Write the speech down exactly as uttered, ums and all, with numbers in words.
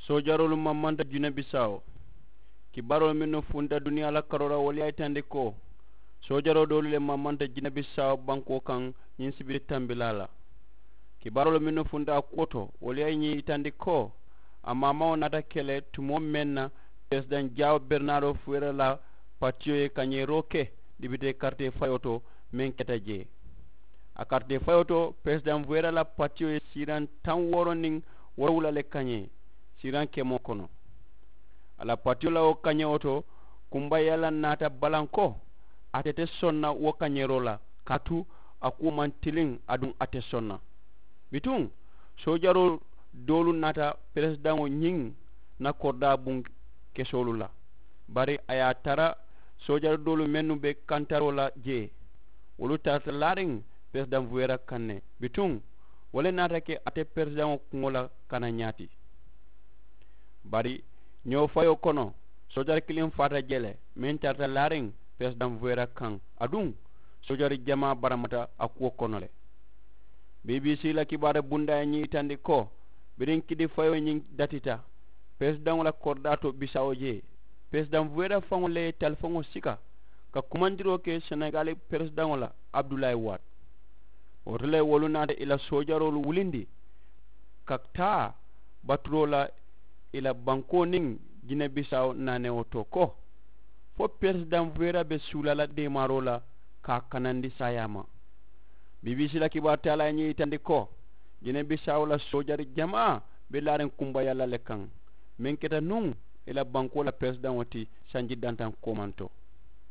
Soojaroolu mamanta jine bisaawo. Kibaaroolu mennu funta duniyaa la karoo la wolu ye a yitandi ko soojaroo doolu le mamanta jine bisaawo bankoo kaŋ ñiŋ sibiri tambilaa la. Kibaaroolu mennu funta a kuwo to wolu ye ñiŋ yitandi ko a maamaŋo naata ke le tumoo meŋ na peresidaŋ jaawo bernaaroo fuweera la patiyo ye kañeeroo ke dibitee karitee fayoo to meŋ keta jee. A karitee fayoo to peresidaŋ fuweera la patiyo ye siiraŋ taŋ wooro niŋ woorowula le kañee siiraŋ kemoo kono. A la patiyo la wo kañewo to kumbayalla naata balanko ate te sonna wo kañeeroo la kaatu a kuwo maŋ tiliŋ aduŋ a te sonna. Bituŋ soojaroo doolu naata peresidaŋo ñiŋ na koridaa buŋ kesoolu la. Bari a ye a tara soojari doolu mennu be kantaroo la jee wolu tarata laariŋ peresidaŋ fuweera kaŋ ne. Bituŋ wo le naata ke ate peresidaŋo kuŋo la kana ñaati. Bari ñoo fayoo kono soojari kiliŋ faata jee le meŋ tarata laariŋ peresidaŋ fuweera kaŋ aduŋ soojari jamaa baramata a kuwo kono le. Bbc la kibaari bundaa ye ñiŋ yitandi ko biriŋ kidi fayoo ñiŋ datita peresidaŋo la koridaa to bisaawo jee peresidaŋ fuweera faŋo le ye talifaŋo sika ka kumandiroo ke senegali peresidaŋo la abudulayi waati. Wo to le wolu naata i la soojaroolu wulindi ka taa baturoo la i la bankoo niŋ jine bisaawo naanewo to ko fo peresidaŋ fuweera be suulaa la deemaaroo la ka a kanandi saayaa ma. Bbc la kibaari taalaa ye ñiŋ yitandi ko jine bisaawo la soojari jamaa be laariŋ kumbayalla le kaŋ meŋ keta nuŋ i la bankoo la peresidaŋo ti sanji dantaŋ koomanto.